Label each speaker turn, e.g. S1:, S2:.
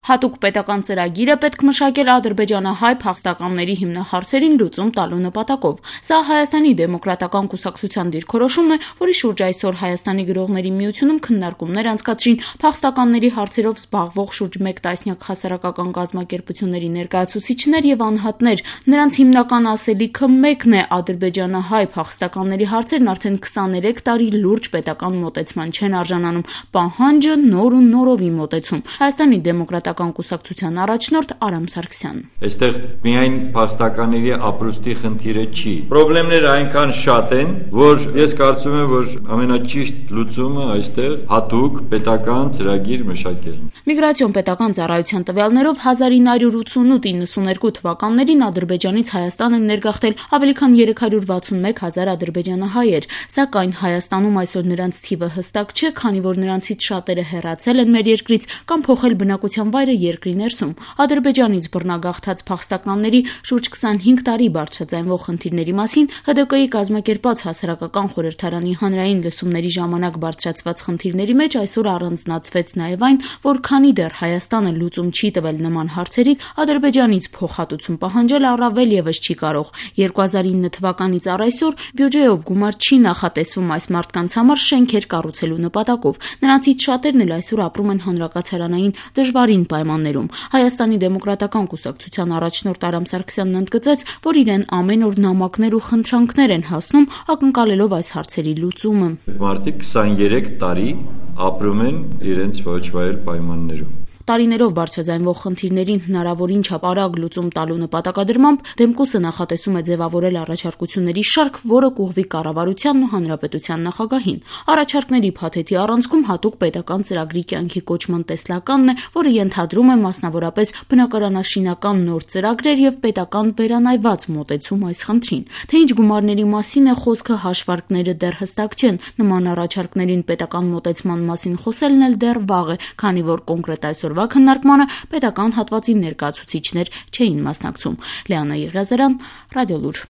S1: Հատուկ պետական ծրագիր է պետք մշակել ադրբեջանահայ փախստականների հիմնահարցերին լուծում տալու նպատակով։ Սա Հայաստանի դեմոկրատական կուսակցության դիրքորոշումն է, որի շուրջ այսօր Հայաստանի գրողների միությունում քննարկումներ անցկացրին փախստականների հարցերով զբաղվող շուրջ 1 տասնյակ հասարակական կազմակերպությունների ներկայացուցիչներ եւ անհատներ։ Նրանց հիմնական ասելիքը մեկն է՝ ադրբեջանահայ փախստականների հարցերն արդեն 23 տարի լուրջ պետական մոտեցման չեն արժանանում։ Պահանջը նոր ու նորովի մոտեցում։ Հայաստանի դեմոկրատական կուսակցության առաջնորդ Արամ Սարգսյան.
S2: Այստեղ միայն փախստականների ապրուստի խնդիրը չի։ Խնդիրները այնքան շատ են, որ ես կարծում եմ, որ ամենաճիշտ լուծումը այստեղ հատուկ պետական ծրագիր մշակելն է։
S1: Միգրացիոն պետական ծառայության տվյալներով 1988-92 թվականներին Ադրբեջանից Հայաստան են ներգաղթել ավելի քան 361 հազար ադրբեջանահայեր, սակայն Հայաստանում այսօր նրանց թիվը հստակ չէ, քանի որ նրանցից շատերը հեռացել են մեր երկրից կամ փոխել բնակության վայրը երկրի ներսում։ Ադրբեջանից բռնագաղթած փախստականների շուրջ 25 տարի բարձրաձայնվող խնդիրների մասին ՀԴԿ-ի կազմակերպած հասարակական խորհրդարանի հանրային լսումների ժամանակ բարձրացված խնդիրների մեջ այսօր առանձնացվեց նաև այն, որ քանի դեռ Հայաստանը լուծում չի տվել նման հարցերից, Ադրբեջանից փոխհատուցում պահանջել առավել եւս չի կարող։ 2009 թվականից առ այսօր բյուջեով գումար չի նախատեսվում այս մարդկանց համար շենքեր կառուցելու նպատակով։ Նրանցից շատերն էլ այսօր ապրում են հանրակացարանային դժվարին պայմաններում։ Հայաստանի դեմոկրատական կուսակցության առաջնորդ Արամ Սարգսյանն ընդգծեց, որ իրեն ամեն օր նամակներ ու խնդրանքներ են հասնում, ակնկալելով այս հարցերի լուծումը։
S2: Մարդիկ 23 տարի ապրում են իրենց ոչ վայել պայմաններում։
S1: Տարիներով բարձրաձայնվող խնդիրներին հնարավորին չափ արագ լուծում տալու նպատակադրմամբ Դեմկուսը նախատեսում է ձևավորել առաջարկությունների շարք, որը կուղղվի կառավարությանն ու հանրապետության նախագահին։ Առաջարկների փաթեթի առանցքում հատուկ պետական ծրագրի կյանքի կոչման տեսլականն է, որը ենթադրում է մասնավորապես բնակարանաշինական նոր ծրագրեր եւ պետական վերանայված մոտեցում այս խնդրին։ Թե ինչ գումարների մասին է խոսքը, հաշվարկները դեռ հստակ չեն։ Նման առաջարկներին պետական մոտեցման մասին խոսելն էլ դեռ վաղ է, քանի որ կոնկրետ այսօր քննարկմանը պետական հատվածի ներկայացուցիչներ չէին մասնակցում։ Լեանա Եղիազարյան, Ռադիոլուր։